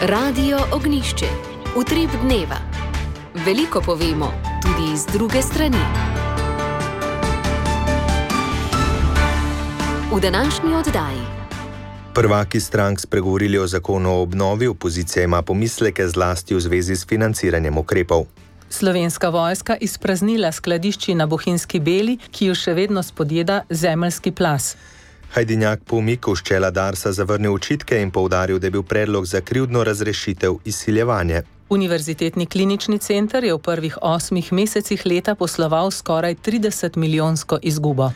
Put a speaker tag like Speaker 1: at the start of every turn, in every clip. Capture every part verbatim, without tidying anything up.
Speaker 1: Radio Ognjišče. Utrip dneva. Veliko povemo, tudi iz druge strani. V današnji oddaji.
Speaker 2: Prvaki strank spregovorili o zakonu o obnovi, opozicija ima pomisleke zlasti v zvezi s financiranjem ukrepov.
Speaker 3: Slovenska vojska izpraznila skladišči na Bohinjski Beli, ki jo še vedno spodjeda zemeljski plaz.
Speaker 2: Hajdinjak po umiku s čela Darsa zavrnil očitke in poudaril, da je bil predlog za krivdno razrešitev izsiljevanje.
Speaker 3: Univerzitetni klinični center je v prvih osmih mesecih leta posloval skoraj trideset milijonsko izgubo.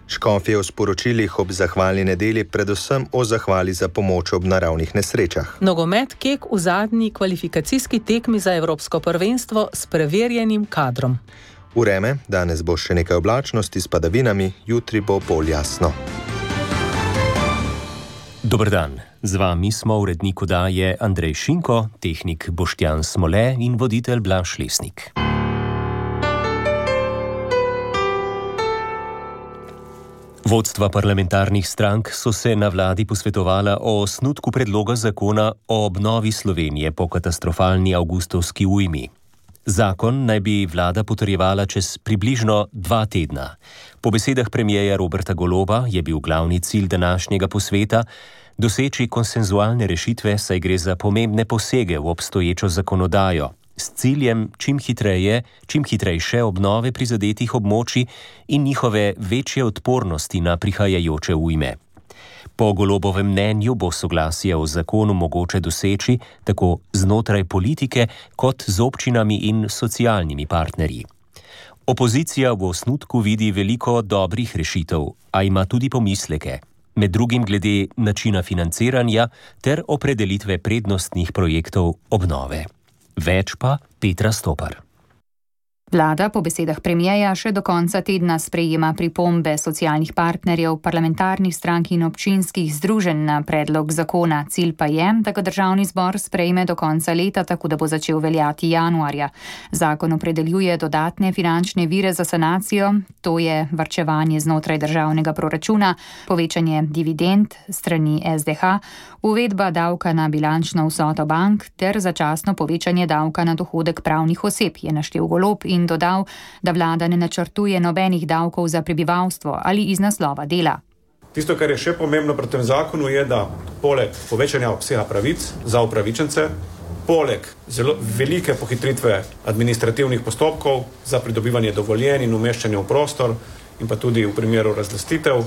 Speaker 2: Škofje v sporočilih ob zahvalni nedelji predvsem o zahvali za pomoč ob naravnih nesrečah.
Speaker 3: Nogomet Kek v zadnji kvalifikacijski tekmi za evropsko prvenstvo s preverjenim kadrom.
Speaker 2: Vreme, danes bo še nekaj oblačnosti s padavinami, jutri bo bolj jasno.
Speaker 4: Dober dan, z vami smo urednik oddaje Andrej Šinko, tehnik Boštjan Smole in voditelj Blaž Lesnik. Vodstva parlamentarnih strank so se na vladi posvetovala o osnutku predloga zakona o obnovi Slovenije po katastrofalni avgustovski ujmi. Zakon naj bi vlada potrjevala čez približno dva tedna. Po besedah premierja Roberta Goloba je bil glavni cilj današnjega posveta doseči konsenzualne rešitve, saj gre za pomembne posege v obstoječo zakonodajo, s ciljem čim hitreje, čim hitrejše obnove prizadetih območij in njihove večje odpornosti na prihajajoče ujme. Po Golobovem mnenju bo soglasje o zakonu mogoče doseči tako znotraj politike kot z občinami in socialnimi partnerji. Opozicija v osnutku vidi veliko dobrih rešitev, a ima tudi pomisleke, med drugim glede načina financiranja ter opredelitve prednostnih projektov obnove. Več pa Petra Stopar.
Speaker 5: Vlada po besedah premierja še do konca tedna sprejema pripombe socialnih partnerjev, parlamentarnih strank in občinskih združenj na predlog zakona. Cilj pa je, da ga državni zbor sprejme do konca leta, tako da bo začel veljati januarja. Zakon opredeljuje dodatne finančne vire za sanacijo, to je varčevanje znotraj državnega proračuna, povečanje dividend strani S D H, uvedba davka na bilančno vsoto bank ter začasno povečanje davka na dohodek pravnih oseb, je naštel Golob in dodal, da vlada ne načrtuje nobenih davkov za prebivalstvo ali iz naslova dela.
Speaker 6: Tisto, kar je še pomembno pri tem zakonu, je, da poleg povečanja obsega pravic za upravičence, poleg zelo velike pohitritve administrativnih postopkov za pridobivanje dovoljenj in umeščanje v prostor in pa tudi v primeru razlastitev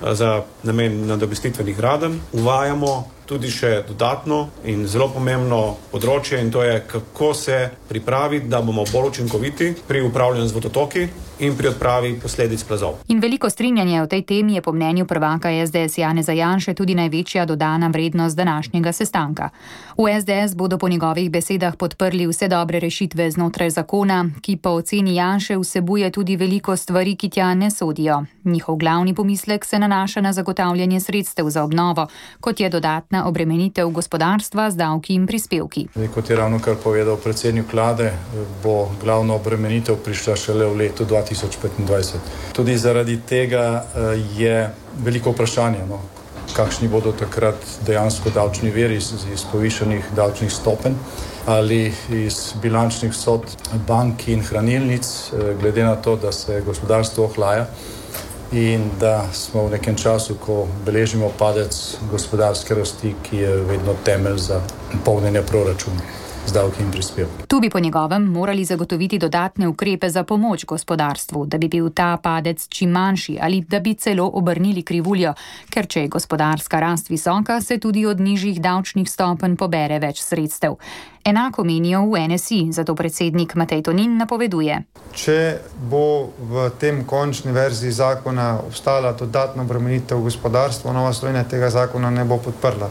Speaker 6: za namen nadomestitvenih gradenj, uvajamo tudi še dodatno in zelo pomembno področje, in to je, kako se pripraviti, da bomo bolj učinkoviti pri upravljanju z vodotoki in pri odpravi posledic plazov.
Speaker 5: In veliko strinjanje o tej temi je po mnenju prvaka S D S Janeza Janše tudi največja dodana vrednost današnjega sestanka. V S D S bodo po njegovih besedah podprli vse dobre rešitve znotraj zakona, ki po oceni Janše vsebuje tudi veliko stvari, ki tja ne sodijo. Njihov glavni pomislek se nanaša na zagotavljanje sredstev za obnovo, kot je dodatna obremenitev gospodarstva z davki in prispevki.
Speaker 7: Kot je ravno kar povedal predsednik vlade, bo glavna obremenitev prišla šele v letu dva tisoč petindvajset. Tudi zaradi tega je veliko vprašanje, no, kakšni bodo takrat dejansko davčni viri iz, iz povišanih davčnih stopenj ali iz bilančnih vsot bank in hranilnic, glede na to, da se gospodarstvo ohlaja in da smo v nekem času, ko beležimo padec gospodarske rasti, ki je vedno temelj za polnjenje proračuna z davki in prispevki.
Speaker 5: Tu bi po njegovem morali zagotoviti dodatne ukrepe za pomoč gospodarstvu, da bi bil ta padec čim manjši ali da bi celo obrnili krivuljo, ker če je gospodarska rast visoka, se tudi od nižjih davčnih stopenj pobere več sredstev. Enako menijo v N S I, zato predsednik Matej Tonin napoveduje.
Speaker 8: Če bo v tem končni verziji zakona obstala dodatna obremenitev gospodarstva, Nova Slovenija tega zakona ne bo podprla.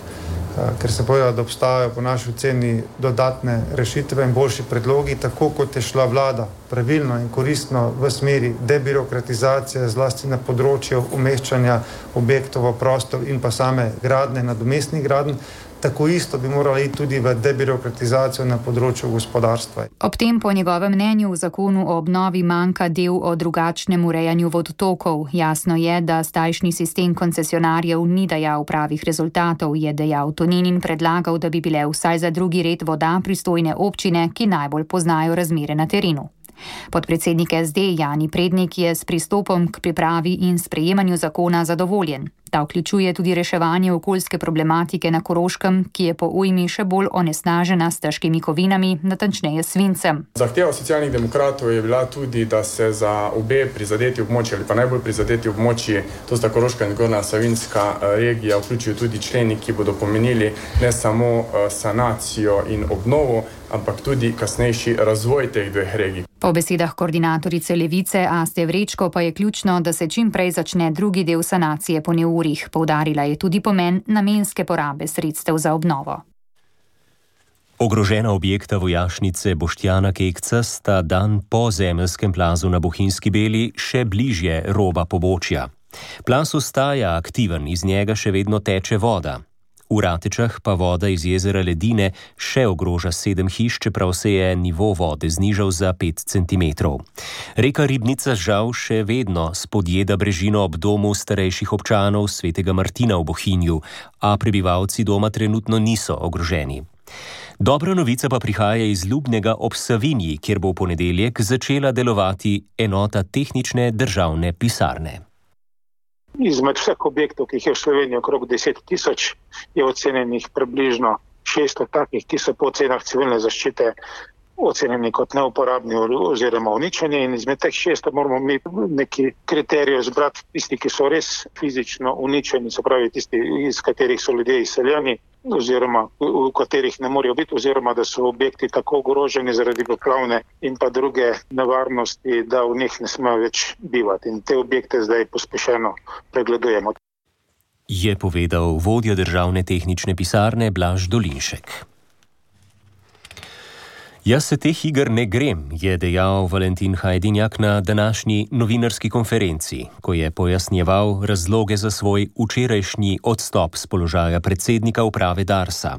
Speaker 8: Ker se povedal, da obstajajo po naši oceni dodatne rešitve in boljši predlogi, tako kot je šla vlada pravilno in koristno v smeri debirokratizacije, zlasti na področju umeščanja objektov v prostor in pa same gradnje, nadomestnih gradenj, tako isto bi morali iti tudi v debirokratizacijo na področju gospodarstva.
Speaker 5: Ob tem po njegovem mnenju v zakonu o obnovi manjka del o drugačnem urejanju vodotokov. Jasno je, da zdajšnji sistem koncesionarjev ni dajal pravih rezultatov, je dejal Tonin in predlagal, da bi bile vsaj za drugi red voda pristojne občine, ki najbolj poznajo razmere na terenu. Podpredsednik S D Jani Prednik je s pristopom k pripravi in sprejemanju zakona zadovoljen. Ta vključuje tudi reševanje okoljske problematike na Koroškem, ki je po ujmi še bolj onesnažena s težkimi kovinami, natančneje svincem.
Speaker 9: Zahteva Socialnih demokratov je bila tudi, da se za obe prizadeti območji ali pa najbolj prizadeti območji, to sta Koroška in Zgornja Savinjska regija, vključijo tudi členi, ki bodo pomenili ne samo sanacijo in obnovo, ampak tudi kasnejši razvoj teh dveh regij.
Speaker 5: Po besedah koordinatorice Levice Aste Vrečko pa je ključno, da se čim prej začne drugi del sanacije po neurjih. Poudarila je tudi pomen namenske porabe sredstev za obnovo.
Speaker 4: Ogrožena objekta vojašnice Boštjana Kekca sta dan po zemeljskem plazu na Bohinjski Beli še bližje roba pobočja. Plaz ostaja aktiven, iz njega še vedno teče voda. V Ratečah pa voda iz jezera Ledine še ogroža sedem hiš, čeprav se je nivo vode znižal za pet centimetrov. Reka Ribnica žal še vedno spodjeda brežino ob domu starejših občanov Svetega Martina v Bohinju, a prebivalci doma trenutno niso ogroženi. Dobra novica pa prihaja iz Ljubnega ob Savinji, kjer bo v ponedeljek začela delovati enota tehnične državne pisarne.
Speaker 10: Izmed vseh objektov, ki jih je v Sloveniji okrog deset tisoč, je ocenjenih približno šeststo takih, ki so po ocenah civilne zaščite ocenjeni kot neuporabni oziroma uničeni, in izmed teh šeststo moramo mi neki kriterijev zbrati tisti, ki so res fizično uničeni, se pravi tisti, iz katerih so ljudje izseljeni oziroma v katerih ne morejo biti, oziroma da so objekti tako ogroženi zaradi poplavne in pa druge nevarnosti, da v njih ne smejo več bivati. In te objekte zdaj pospešeno pregledujemo.
Speaker 4: Je povedal vodja državne tehnične pisarne Blaž Dolinšek. Jaz se teh iger ne grem, je dejal Valentin Hajdinjak na današnji novinarski konferenci, ko je pojasnjeval razloge za svoj včerajšnji odstop s položaja predsednika uprave Darsa.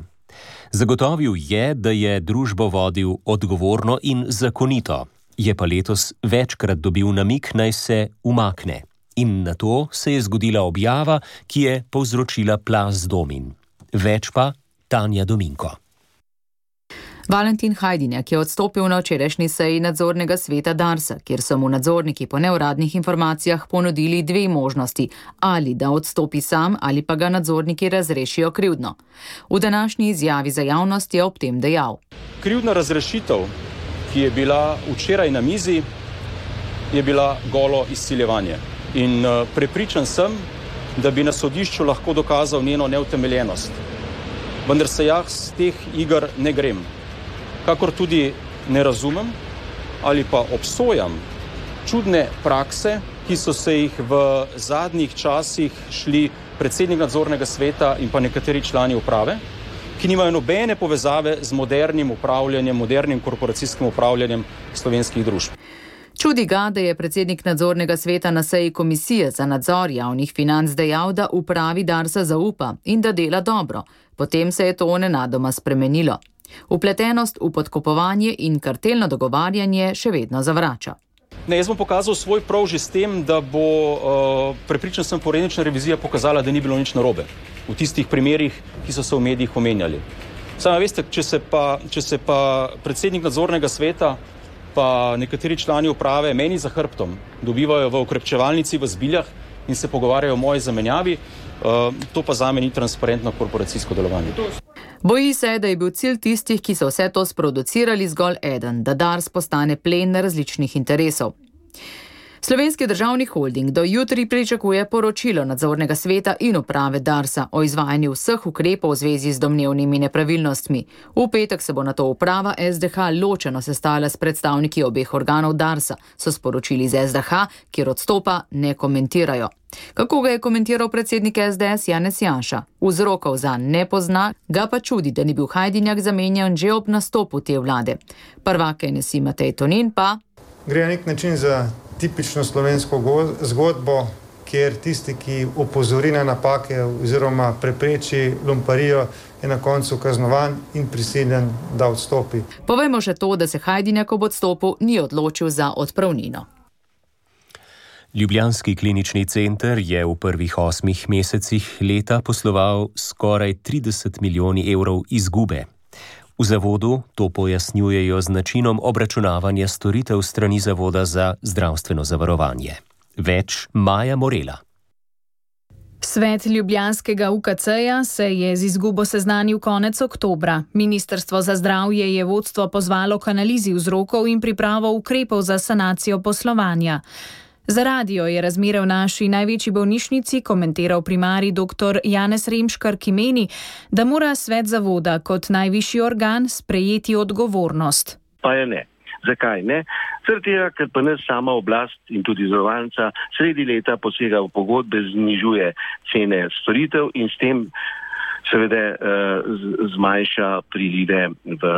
Speaker 4: Zagotovil je, da je družbo vodil odgovorno in zakonito, je pa letos večkrat dobil namig, naj se umakne. In na to se je zgodila objava, ki je povzročila plaz domin. Več pa Tanja Dominko.
Speaker 11: Valentin Hajdinjak je odstopil na včerajšnji seji nadzornega sveta Darsa, kjer so mu nadzorniki po neuradnih informacijah ponudili dve možnosti, ali da odstopi sam ali pa ga nadzorniki razrešijo krivdno. V današnji izjavi za javnost je ob tem dejal.
Speaker 12: Krivdna razrešitev, ki je bila včeraj na mizi, je bila golo izsiljevanje. In prepričan sem, da bi na sodišču lahko dokazal njeno neutemeljenost. Vendar se jaz teh iger ne grem. Kakor tudi ne razumem ali pa obsojam čudne prakse, ki so se jih v zadnjih časih šli predsednik nadzornega sveta in pa nekateri člani uprave, ki nimajo nobene povezave z modernim upravljanjem, modernim korporacijskim upravljanjem slovenskih družb.
Speaker 11: Čudi ga, da je predsednik nadzornega sveta na seji Komisije za nadzor javnih financ dejal, da upravi Darsa zaupa in da dela dobro. Potem se je to nenadoma spremenilo. Vpletenost v podkupovanje in kartelno dogovarjanje še vedno zavrača.
Speaker 12: Ne, jaz bom pokazal svoj prav že s tem, da bo, uh, prepričan sem, forenzična revizija pokazala, da ni bilo nič narobe v tistih primerih, ki so se v medijih omenjali. Samo veste, če se pa, če se pa predsednik nadzornega sveta pa nekateri člani uprave meni za hrbtom dobivajo v okrepčevalnici v Zbiljah in se pogovarjajo o moji zamenjavi, uh, to pa zame ni transparentno korporacijsko delovanje.
Speaker 11: Boji se, da je bil cilj tistih, ki so vse to sproducirali, zgolj eden, da Dars postane plen različnih interesov. Slovenski državni holding do jutri pričakuje poročilo nadzornega sveta in uprave Darsa o izvajanju vseh ukrepov v zvezi z domnevnimi nepravilnostmi. V petek se bo nato uprava S D H ločeno sestala s predstavniki obeh organov Darsa, so sporočili z S D H, kjer odstopa ne komentirajo. Kako ga je komentiral predsednik S D S Janez Janša? Vzrokov za ne pozna, ga pa čudi, da ni bil Hajdinjak zamenjan že ob nastopu te vlade. Prvak N S I Matej Tonin pa...
Speaker 8: Gre na nek način za tipično slovensko zgodbo, kjer tisti, ki opozori na napake oziroma prepreči lumparijo, je na koncu kaznovan in prisiljen, da odstopi.
Speaker 11: Povejmo še to, da se Hajdinjak ob odstopu ni odločil za odpravnino.
Speaker 4: Ljubljanski klinični center je v prvih osmih mesecih leta posloval skoraj trideset milijoni evrov izgube. V zavodu to pojasnjujejo z načinom obračunavanja storitev strani Zavoda za zdravstveno zavarovanje. Več Maja Morela.
Speaker 13: Svet ljubljanskega U K C-ja se je z izgubo seznanil konec oktobra. Ministrstvo za zdravje je vodstvo pozvalo k analizi vzrokov in pripravo ukrepov za sanacijo poslovanja. Za radio je razmere v naši največji bolnišnici komentiral primarij dr. Janez Remškar, ki meni, da mora svet zavoda kot najvišji organ sprejeti odgovornost.
Speaker 14: Pa je ne. Zakaj ne? Zaradi tega, ker pa nas sama oblast in tudi zavarovalnica sredi leta posega v pogodbe, znižuje cene storitev in s tem seveda zmanjša prilive v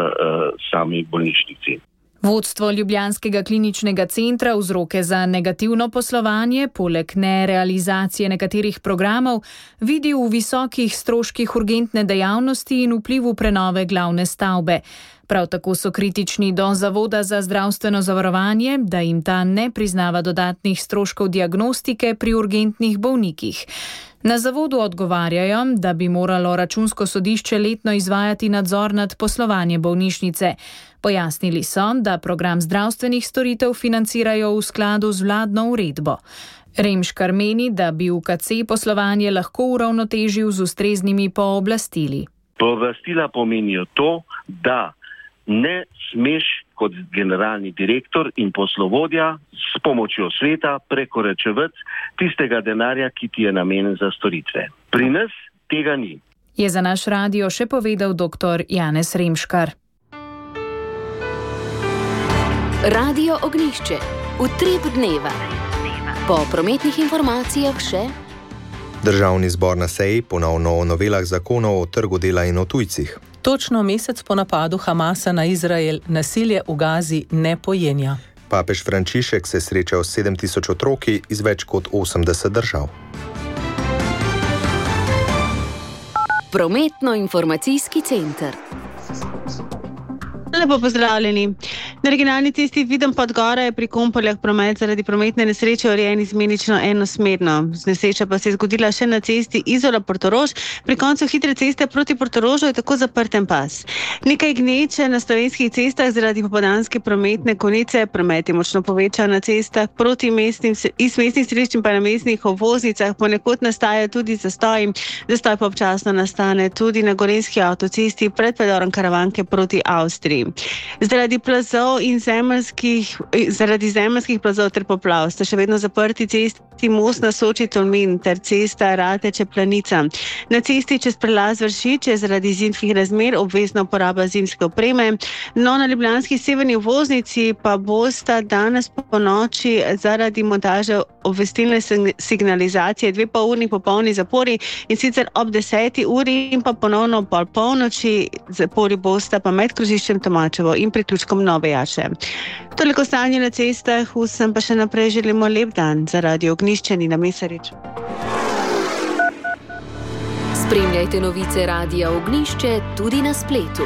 Speaker 14: sami bolnišnici.
Speaker 13: Vodstvo Ljubljanskega kliničnega centra vzroke za negativno poslovanje, poleg nerealizacije nekaterih programov, vidi v visokih stroških urgentne dejavnosti in vplivu prenove glavne stavbe. Prav tako so kritični do Zavoda za zdravstveno zavarovanje, da jim ta ne priznava dodatnih stroškov diagnostike pri urgentnih bolnikih. Na zavodu odgovarjajo, da bi moralo računsko sodišče letno izvajati nadzor nad poslovanje bolnišnice. Pojasnili so, da program zdravstvenih storitev financirajo v skladu z vladno uredbo. Remškar meni, da bi U K C poslovanje lahko uravnotežil z ustreznimi pooblastili.
Speaker 14: Pooblastila pomenijo to, da ne smeš kot generalni direktor in poslovodja s pomočjo sveta prekoračevati tistega denarja, ki ti je namenjen za storitve. Pri nas tega ni.
Speaker 13: Je za naš radio še povedal dr. Janez Remškar.
Speaker 1: Radio Ognjišče. Utrip dneva. Po prometnih informacijah še.
Speaker 2: Državni zbor na seji ponovno o novelah zakonov o trgu dela in o tujcih.
Speaker 3: Točno mesec po napadu Hamasa na Izrael nasilje v Gazi ne pojenja.
Speaker 2: Papež Frančišek se srečal s sedem tisoč otroki iz več kot osemdeset držav.
Speaker 1: Prometno-informacijski center.
Speaker 15: Lepo pozdravljeni. Na regionalni cesti Videm Podgora je pri Kompoljah promet zaradi prometne nesreče urejen izmenično enosmerno. Nesreča pa se je zgodila še na cesti Izola-Portorož. Pri koncu hitre ceste proti Portorožu je tako zaprten pas. Nekaj gneče na slovenskih cestah zaradi popoldanske prometne konice. Promet je močno povečan na cestah proti mestnim, iz mestnih središč in pa na mestnih obvoznicah. Ponekod nastaja tudi zastoj. Zastoj pa občasno nastane tudi na gorenjski avtocesti pred predorom Karavanke proti Avstriji. Zaradi plazov in zemeljskih, zaradi zemeljskih plazov ter poplav sta še vedno zaprti cesti most na Soči Tolmin ter cesta Rateče-Planica. Na cesti čez prelaz Vršič je zaradi zimskih razmer obvezna uporaba zimske opreme. No, na ljubljanski severni obvoznici pa bosta danes po noči zaradi montaže obvestilne signalizacije dve pol urni popolni zapori in sicer ob deseti uri in pa ponovno pol polnoči. Zapori bosta pa med krožiščem Tomačevo in priključkom Nove Jaše. Toliko stanje na cestah, vsem pa še naprej želimo lep dan. Za Radio Ognjišče Nina Mesarič.
Speaker 1: Spremljajte novice Radia Ognjišče tudi na spletu.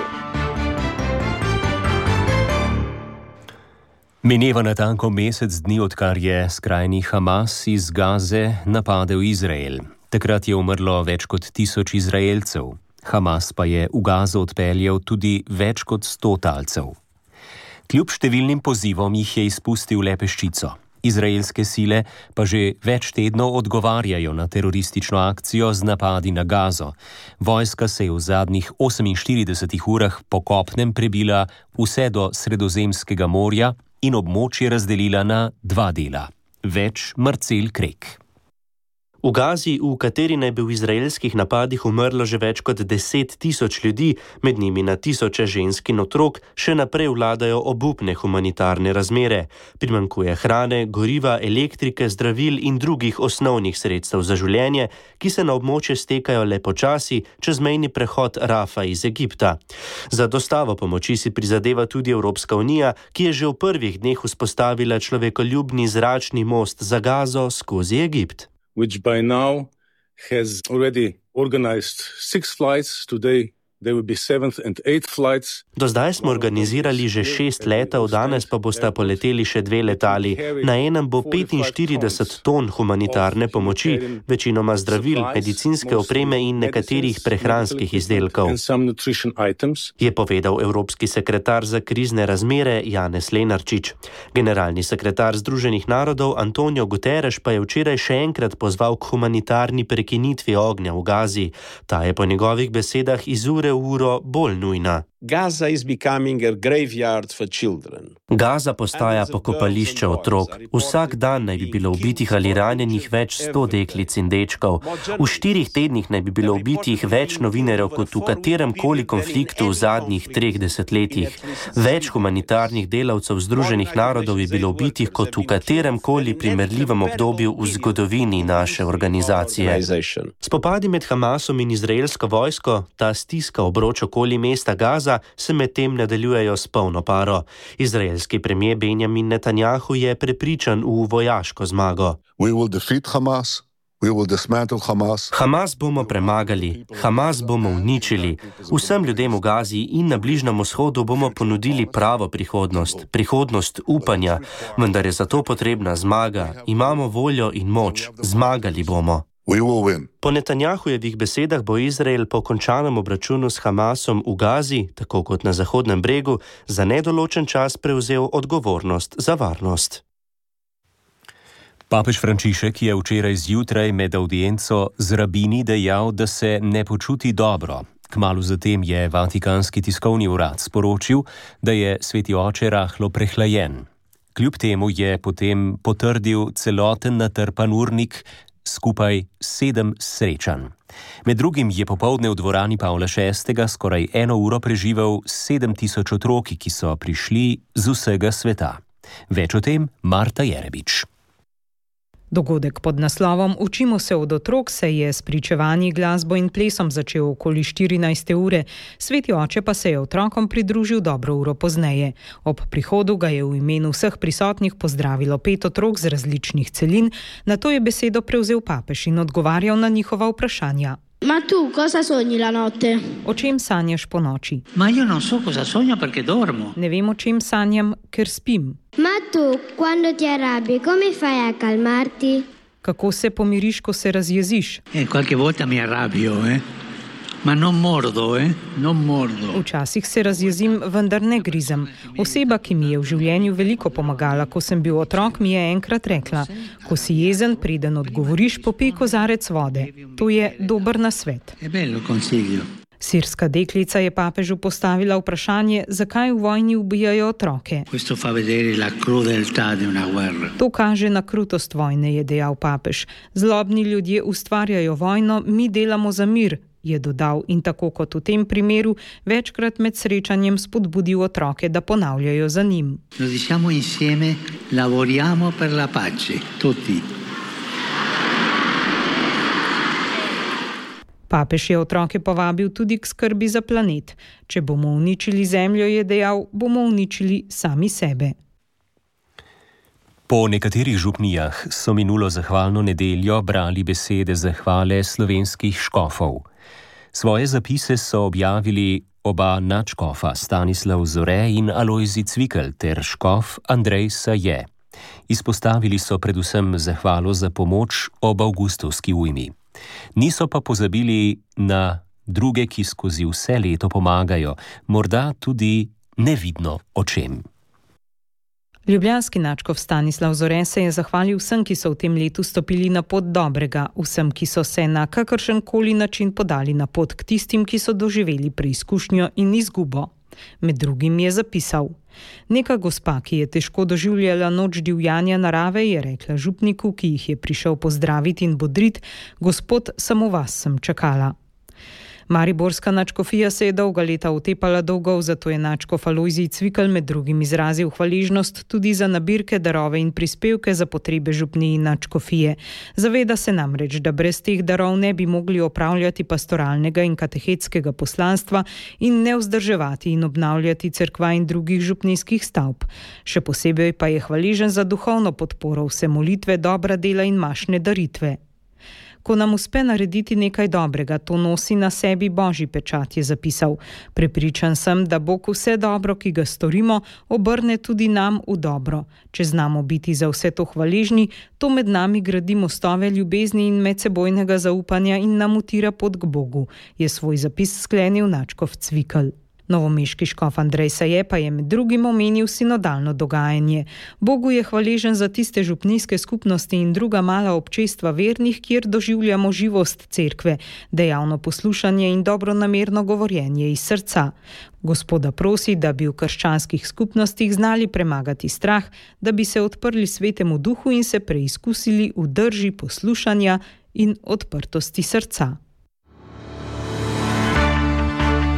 Speaker 4: Mineva natanko mesec dni, odkar je skrajni Hamas iz Gaze napadel Izrael. Takrat je umrlo več kot tisoč Izraelcev. Hamas pa je v Gazo odpeljal tudi več kot sto talcev. Kljub številnim pozivom jih je izpustil le peščico. Izraelske sile pa že več tednov odgovarjajo na teroristično akcijo z napadi na Gazo. Vojska se je v zadnjih oseminštiridesetih urah po kopnem prebila vse do Sredozemskega morja in območje razdelila na dva dela. Več Marcel Krek.
Speaker 16: V Gazi, v kateri naj bi v izraelskih napadih umrlo že več kot deset tisoč ljudi, med njimi na tisoče žensk in otrok, še naprej vladajo obupne humanitarne razmere. Primanjkuje hrane, goriva, elektrike, zdravil in drugih osnovnih sredstev za življenje, ki se na območje stekajo le počasi čez mejni prehod Rafa iz Egipta. Za dostavo pomoči si prizadeva tudi Evropska unija, ki je že v prvih dneh vzpostavila človekoljubni zračni most za Gazo skozi Egipt.
Speaker 17: which by now has already organized six flights. Today there will be seventh and eighth flights.
Speaker 16: Do zdaj smo organizirali že šest letov, danes pa bosta poleteli še dve letali. Na enem bo petinštirideset ton humanitarne pomoči, večinoma zdravil, medicinske opreme in nekaterih prehranskih izdelkov, je povedal evropski sekretar za krizne razmere Janez Lenarčič. Generalni sekretar Združenih narodov Antonio Guterres pa je včeraj še enkrat pozval k humanitarni prekinitvi ognja v Gazi. Ta je po njegovih besedah iz ure v uro bolj nujna.
Speaker 18: Gaza is becoming a graveyard for children.
Speaker 16: Gaza postaja pokopališče otrok. Vsak dan naj bi bilo ubitih ali ranjenih več sto deklic in dečkov. V štirih tednih naj bi bilo ubitih več novinarjev kot v katerem koli konfliktu v zadnjih treh desetletjih. Več humanitarnih delavcev Združenih narodov je bilo ubitih kot v katerem koli primerljivem obdobju v zgodovini naše organizacije. Spopadi med Hamasom in izraelsko vojsko, ta stiska obroč okoli mesta Gaza, se medtem nadaljujejo s polno paro. Izraelski premier Benjamin Netanjahu je prepričan v vojaško zmago.
Speaker 19: We will defeat Hamas. We will dismantle Hamas.
Speaker 16: Hamas bomo premagali, Hamas bomo uničili. Vsem ljudem v Gazi in na Bližnjem vzhodu bomo ponudili pravo prihodnost, prihodnost upanja, vendar je za to potrebna zmaga. Imamo voljo in moč, zmagali bomo.
Speaker 19: We will win.
Speaker 16: Po Netanjahujevih besedah bo Izrael po končanem obračunu s Hamasom v Gazi, tako kot na Zahodnem bregu, za nedoločen čas prevzel odgovornost za varnost.
Speaker 4: Papež Frančišek je včeraj zjutraj med avdienco z rabini dejal, da se ne počuti dobro. Kmalu zatem je Vatikanski tiskovni urad sporočil, da je sveti oče rahlo prehlajen. Kljub temu je potem potrdil celoten natrpan urnik, skupaj sedem srečanj. Med drugim je popoldne v dvorani Pavla šestega skoraj eno uro preživel sedem tisoč otroki, ki so prišli z vsega sveta. Več o tem Marta Jerebič.
Speaker 3: Dogodek pod naslovom Učimo se od otrok se je s pričevanji, glasbo in plesom začel okoli štirinajste ure, sveti oče pa se je otrokom pridružil dobro uro pozneje. Ob prihodu ga je v imenu vseh prisotnih pozdravilo pet otrok z različnih celin, nato je besedo prevzel papež in odgovarjal na njihova vprašanja.
Speaker 20: Ma tu cosa sogni la notte?
Speaker 3: O čem sanjaš po noči?
Speaker 21: Ma io non so cosa sogno perché dormo.
Speaker 3: Ne vem, o čem sanjam, ker spim.
Speaker 20: Ma tu, quando ti arrabbi, come fai a calmarti?
Speaker 3: Kako se pomiriš, ko se razjeziš?
Speaker 21: Eh, qualche volta mi arrabbio, eh? Ma non mordo, eh? Non mordo.
Speaker 3: Včasih se razjezim, vendar ne grizem. Oseba, ki mi je v življenju veliko pomagala, ko sem bil otrok, mi je enkrat rekla: ko si jezen, preden odgovoriš, popij kozarec vode. To je dober nasvet.
Speaker 21: È bello consiglio.
Speaker 3: Sirska deklica je papežu postavila vprašanje, zakaj v vojni ubijajo otroke.
Speaker 21: Questo fa vedere la crudeltà di una guerra.
Speaker 3: To kaže na krutost vojne, je dejal papež. Zlobni ljudje ustvarjajo vojno, mi delamo za mir, je dodal in tako kot v tem primeru večkrat med srečanjem spodbudil otroke, da ponavljajo za njim.
Speaker 21: Lo diciamo insieme, lavoriamo per la pace, tutti.
Speaker 3: Papež je otroke povabil tudi k skrbi za planet. Če bomo uničili zemljo, je dejal, bomo uničili sami sebe.
Speaker 4: Po nekaterih župnijah so minulo zahvalno nedeljo brali besede zahvale slovenskih škofov. Svoje zapise so objavili oba nadškofa Stanislav Zore in Alojzij Cvikl ter škof Andrej Saje. Izpostavili so predvsem zahvalo za pomoč ob avgustovski ujmi. Niso pa pozabili na druge, ki skozi vse leto pomagajo, morda tudi nevidno očem.
Speaker 3: Ljubljanski nadškof Stanislav Zore se je zahvalil vsem, ki so v tem letu stopili na pot dobrega, vsem, ki so se na kakršen koli način podali na pot k tistim, ki so doživeli preizkušnjo in izgubo. Med drugim je zapisal: neka gospa, ki je težko doživljala noč divjanja narave, je rekla župniku, ki jih je prišel pozdraviti in bodrit: gospod, samo vas sem čakala. Mariborska nadškofija se je dolga leta utepala dolgov, zato je nadškof Alojzij Cvikl med drugim izrazil hvaležnost tudi za nabirke, darove in prispevke za potrebe župniji nadškofije. Zaveda se namreč, da brez teh darov ne bi mogli opravljati pastoralnega in katehetskega poslanstva in ne vzdrževati in obnavljati cerkva in drugih župnijskih stavb. Še posebej pa je hvaležen za duhovno podporo, vse molitve, dobra dela in mašne daritve. Ko nam uspe narediti nekaj dobrega, to nosi na sebi božji pečat, je zapisal. Prepričan sem, da Bog vse dobro, ki ga storimo, obrne tudi nam v dobro. Če znamo biti za vse to hvaležni, to med nami gradi mostove ljubezni in medsebojnega zaupanja in nam utira pot k Bogu, je svoj zapis sklenil nadškof Cvikl. Novomeški škof Andrej Saje pa je med drugim omenil sinodalno dogajanje. Bogu je hvaležen za tiste župnijske skupnosti in druga mala občestva vernih, kjer doživljamo živost cerkve, dejavno poslušanje in dobronamerno govorjenje iz srca. Gospoda prosi, da bi v krščanskih skupnostih znali premagati strah, da bi se odprli svetemu duhu in se preizkusili v drži poslušanja in odprtosti srca.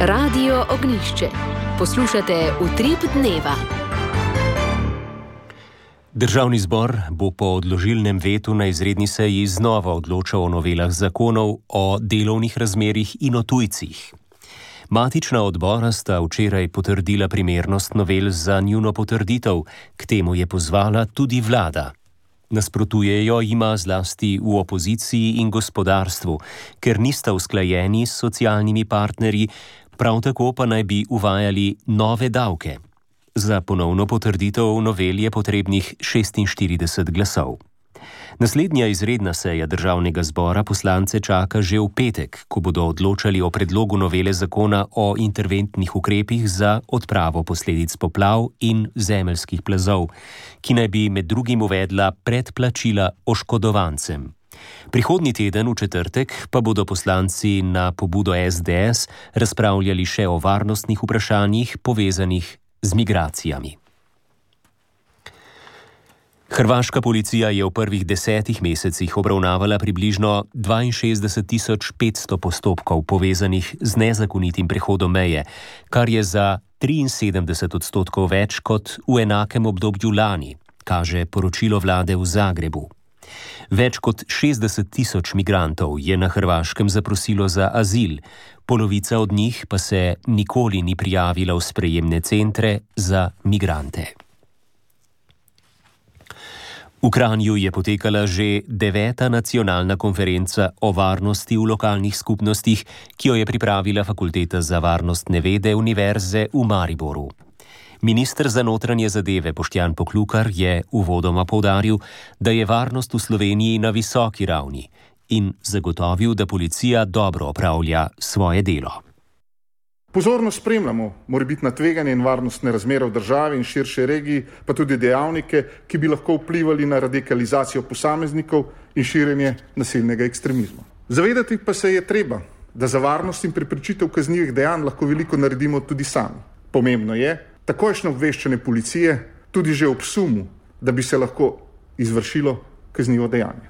Speaker 1: Radio Ognjišče. Poslušate Utrip dneva.
Speaker 4: Državni zbor bo po odložilnem vetu na izredni seji znova odločal o novelah zakonov o delovnih razmerjih in o tujcih. Matična odbora sta včeraj potrdila primernost novel za njuno potrditev, k temu je pozvala tudi vlada. Nasprotujejo jima zlasti v opoziciji in gospodarstvu, ker nista usklajeni s socialnimi partnerji, prav tako pa naj bi uvajali nove davke. Za ponovno potrditev novel je potrebnih šestinštirideset glasov. Naslednja izredna seja državnega zbora poslance čaka že v petek, ko bodo odločali o predlogu novele zakona o interventnih ukrepih za odpravo posledic poplav in zemeljskih plazov, ki naj bi med drugim uvedla predplačila oškodovancem. Prihodnji teden v četrtek pa bodo poslanci na pobudo es de es razpravljali še o varnostnih vprašanjih povezanih z migracijami. Hrvaška policija je v prvih desetih mesecih obravnavala približno dvainšestdeset tisoč petsto postopkov povezanih z nezakonitim prehodom meje, kar je za triinsedemdeset odstotkov več kot v enakem obdobju lani, kaže poročilo vlade v Zagrebu. Več kot šestdeset tisoč migrantov je na Hrvaškem zaprosilo za azil, polovica od njih pa se nikoli ni prijavila v sprejemne centre za migrante. V Kranju je potekala že deveta nacionalna konferenca o varnosti v lokalnih skupnostih, ki jo je pripravila Fakulteta za varnostne vede Univerze v Mariboru. Minister za notranje zadeve Boštjan Poklukar je uvodoma poudaril, da je varnost v Sloveniji na visoki ravni in zagotovil, da policija dobro opravlja svoje delo.
Speaker 6: Pozorno spremljamo morebitna tveganja in varnostne razmere v državi in širši regiji, pa tudi dejavnike, ki bi lahko vplivali na radikalizacijo posameznikov in širjenje nasilnega ekstremizma. Zavedati pa se je treba, da za varnost in preprečitev kaznivih dejanj lahko veliko naredimo tudi sami. Pomembno je takojšnje obveščanje policije tudi že ob sumu, da bi se lahko izvršilo kaznivo dejanje.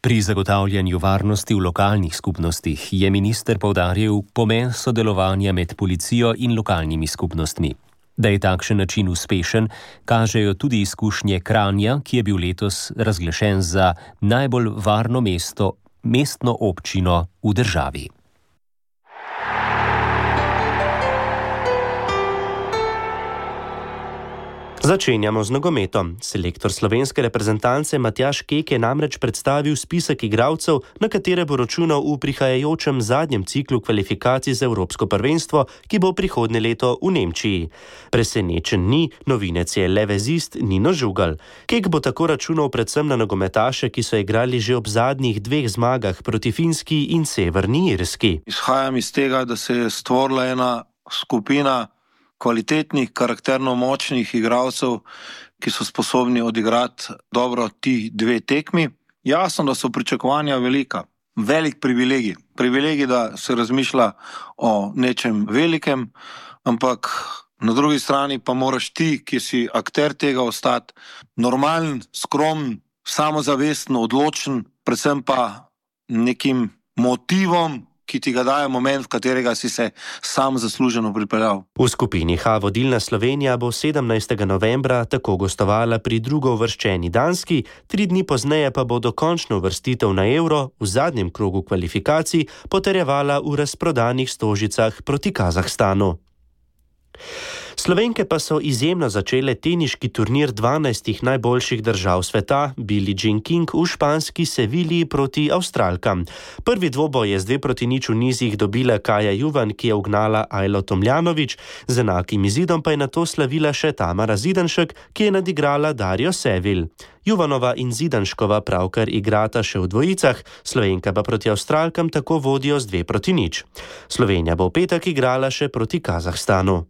Speaker 4: Pri zagotavljanju varnosti v lokalnih skupnostih je minister poudaril pomen sodelovanja med policijo in lokalnimi skupnostmi. Da je takšen način uspešen, kažejo tudi izkušnje Kranja, ki je bil letos razglašen za najbolj varno mesto, mestno občino v državi.
Speaker 16: Začenjamo z nogometom. Selektor slovenske reprezentance Matjaž Kek je namreč predstavil spisek igralcev, na katere bo računal v prihajajočem zadnjem ciklu kvalifikacij za Evropsko prvenstvo, ki bo prihodnje leto v Nemčiji. Presenečen ni, novinec je levezist Nino Žugal. Kek bo tako računal predvsem na nogometaše, ki so igrali že ob zadnjih dveh zmagah proti Finski in Severni Irski.
Speaker 22: Izhajam iz tega, da se je stvorila ena skupina kvalitetnih, karakterno močnih igralcev, ki so sposobni odigrati dobro ti dve tekmi. Jasno, da so pričakovanja velika. Velik privilegij. Privilegij, da se razmišlja o nečem velikem, ampak na drugi strani pa moraš ti, ki si akter tega, ostati normalen, skromen, samozavesten, odločen, predvsem pa nekim motivom, ki ti ga daje moment, v katerega si se sam zasluženo pripeljal.
Speaker 16: V skupini H vodilna Slovenija bo sedemnajstega novembra tako gostovala pri drugouvrščeni Danski, tri dni pozneje pa bo dokončno uvrstitev na Euro v zadnjem krogu kvalifikacij potrjevala v razprodanih Stožicah proti Kazahstanu. Slovenke pa so izjemno začele teniški turnir dvanajstih najboljših držav sveta, Billie Jean King v španski Sevilji proti Avstralkam. Prvi dvoboj je z dve proti nič v nizih dobila Kaja Juvan, ki je ugnala Ajlo Tomljanović, z enakim izidom pa je nato slavila še Tamara Zidanšek, ki je nadigrala Darjo Sevil. Juvanova in Zidanškova pravkar igrata še v dvojicah, Slovenka pa proti Avstralkam tako vodijo z dve proti nič. Slovenija bo v petek igrala še proti Kazahstanu.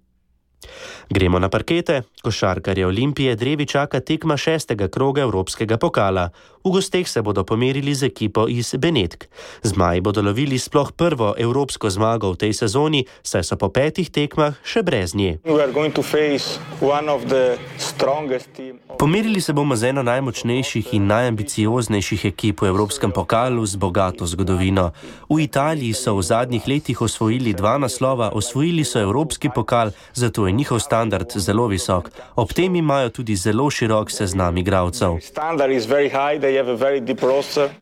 Speaker 16: Gremo na parkete. Košarkarje Olimpije drevi čaka tekma šestega kroga Evropskega pokala. V gosteh se bodo pomerili z ekipo iz Benetk. Zmaji bodo lovili sploh prvo evropsko zmago v tej sezoni, saj so po petih tekmah še brez nje. Pomerili se bomo z eno najmočnejših in najambicioznejših ekip v Evropskem pokalu z bogato zgodovino. V Italiji so v zadnjih letih osvojili dva naslova, osvojili so Evropski pokal, zato je njihov standard zelo visok. Ob tem imajo tudi zelo širok seznam igralcev.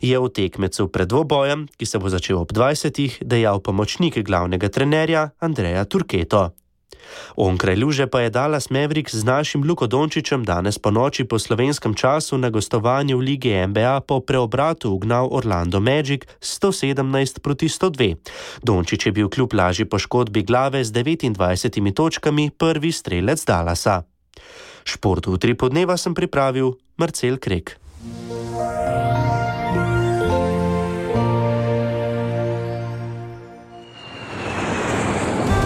Speaker 16: Je v tekmecu pred dvobojem, ki se bo začel ob dvajsetih, dejal pomočnik glavnega trenerja Andreja Turketo. Onkraj luže pa je Dallas Mavericks z našim Luko Dončićem danes po noči po slovenskem času na gostovanju v Ligi N B A po preobratu ugnal Orlando Magic sto sedemnajst proti sto dve. Dončić je bil kljub lažji poškodbi glave z devetindvajsetimi točkami prvi strelec Dallasa. Šport v tri podneva sem pripravil Marcel Krek.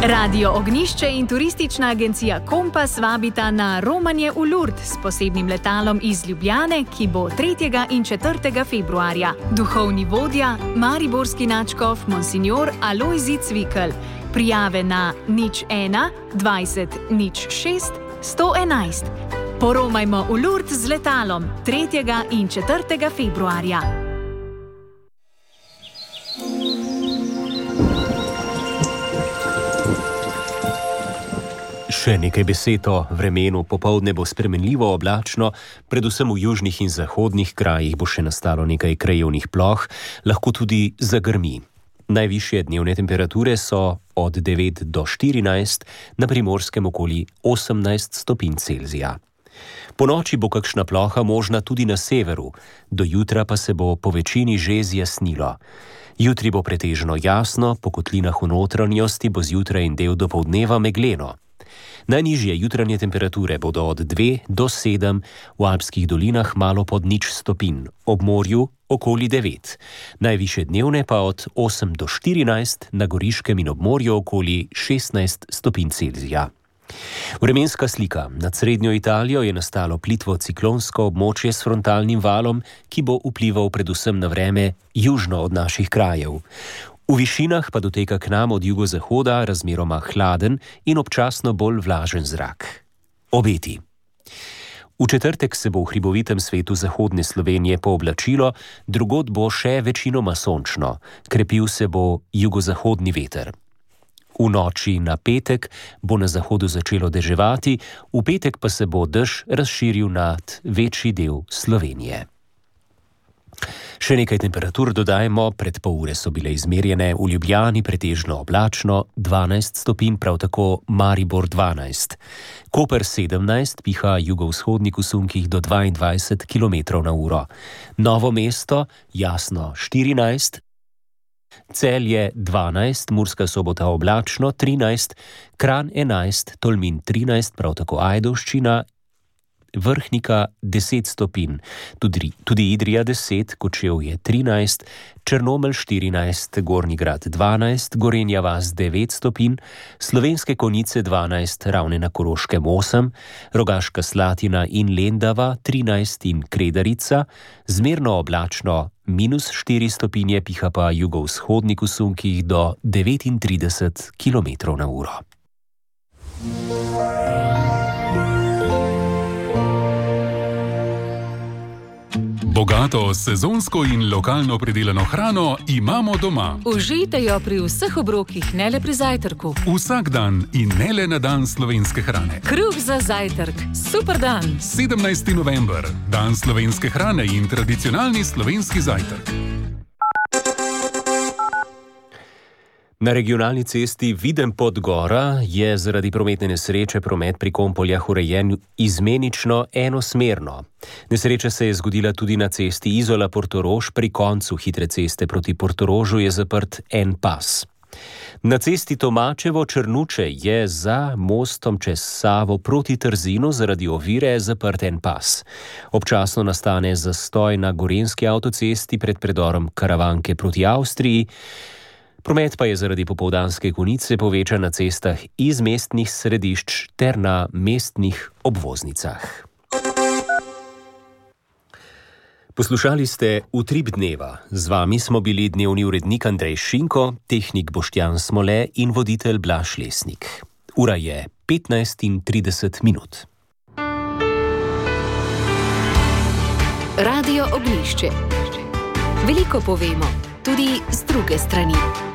Speaker 13: Radio Ognišče in turistična agencija Kompas vabita na romanje v Lourdes s posebnim letalom iz Ljubljane, ki bo tretjega in četrtega februarja. Duhovni vodja, mariborski nadškof Monsignor Alojzij Cvikl. Prijave na nič ena dvajset nič šest sto enajst. Poromajmo v Lourdes z letalom tretjega in četrtega februarja.
Speaker 4: Še nekaj besed o vremenu. Popoldne bo spremenljivo oblačno, predvsem v južnih in zahodnih krajih bo še nastalo nekaj krajevnih ploh, lahko tudi zagrmi. Najvišje dnevne temperature so od devet do štirinajst, na Primorskem okoli osemnajst stopinj Celzija. Po noči bo kakšna ploha možna tudi na severu, do jutra pa se bo po večini že zjasnilo. Jutri bo pretežno jasno, po kotlinah v notranjosti bo zjutraj in del dopoldneva megleno. Najnižje jutranje temperature bodo od dve do sedem, v alpskih dolinah malo pod nič stopinj, ob morju okoli devet. Najvišje dnevne pa od osem do štirinajst, na Goriškem in ob morju okoli šestnajst stopinj Celzija. Vremenska slika. Nad srednjo Italijo je nastalo plitvo ciklonsko območje s frontalnim valom, ki bo vplival predvsem na vreme južno od naših krajev. V višinah pa doteka k nam od jugozahoda razmeroma hladen in občasno bolj vlažen zrak. Obeti. V četrtek se bo v hribovitem svetu zahodne Slovenije pooblačilo, drugod bo še večinoma sončno, krepil se bo jugozahodni veter. V noči na petek bo na zahodu začelo deževati, v petek pa se bo dež razširil nad večji del Slovenije. Še nekaj temperatur dodajmo, pred pol ure so bile izmerjene v Ljubljani pretežno oblačno, dvanajst stopinj, prav tako Maribor dvanajst. Koper sedemnajst, piha jugovzhodnik v sunkih do dvaindvajset kilometrov na uro. Novo mesto, jasno štirinajst, Celje dvanajst, Murska Sobota oblačno trinajst, Kranj enajst, Tolmin trinajst, prav tako Ajdovščina, Vrhnika deset stopinj, tudi, tudi Idrija deset, Kočevje trinajst, Črnomelj štirinajst, Gornji Grad dvanajst, Gorenja vas devet stopinj, Slovenske Konjice dvanajst, Ravne na Koroškem osem, Rogaška Slatina in Lendava trinajst in Kredarica, zmerno oblačno minus štiri stopinje, piha pa jugovzhodnik v sunkih do devetintrideset kilometrov na uro.
Speaker 7: Bogato sezonsko in lokalno pridelano hrano imamo doma.
Speaker 9: Užijte jo pri vseh obrokih, ne le pri zajtrku.
Speaker 7: Vsak dan in ne le na dan slovenske hrane.
Speaker 9: Kruh za zajtrk. Super dan.
Speaker 7: sedemnajsti november. Dan slovenske hrane in tradicionalni slovenski zajtrk.
Speaker 4: Na regionalni cesti Videm-Podgora je zaradi prometne nesreče promet pri Kompoljah urejen izmenično enosmerno. Nesreča se je zgodila tudi na cesti Izola-Portorož, pri koncu hitre ceste proti Portorožu je zaprt en pas. Na cesti Tomačevo-Črnuče je za mostom čez Savo proti Trzinu zaradi ovire zaprt en pas. Občasno nastane zastoj na gorenjski avtocesti pred predorom Karavanke proti Avstriji. Promet pa je zaradi popoldanske konice povečan na cestah iz mestnih središč ter na mestnih obvoznicah. Poslušali ste Utrip dneva. Z vami smo bili dnevni urednik Andrej Šinko, tehnik Boštjan Smole in voditelj Blaž Lesnik. Ura je petnajst in trideset minut.
Speaker 1: Radio Oglišče. Veliko povemo, tudi z druge strani.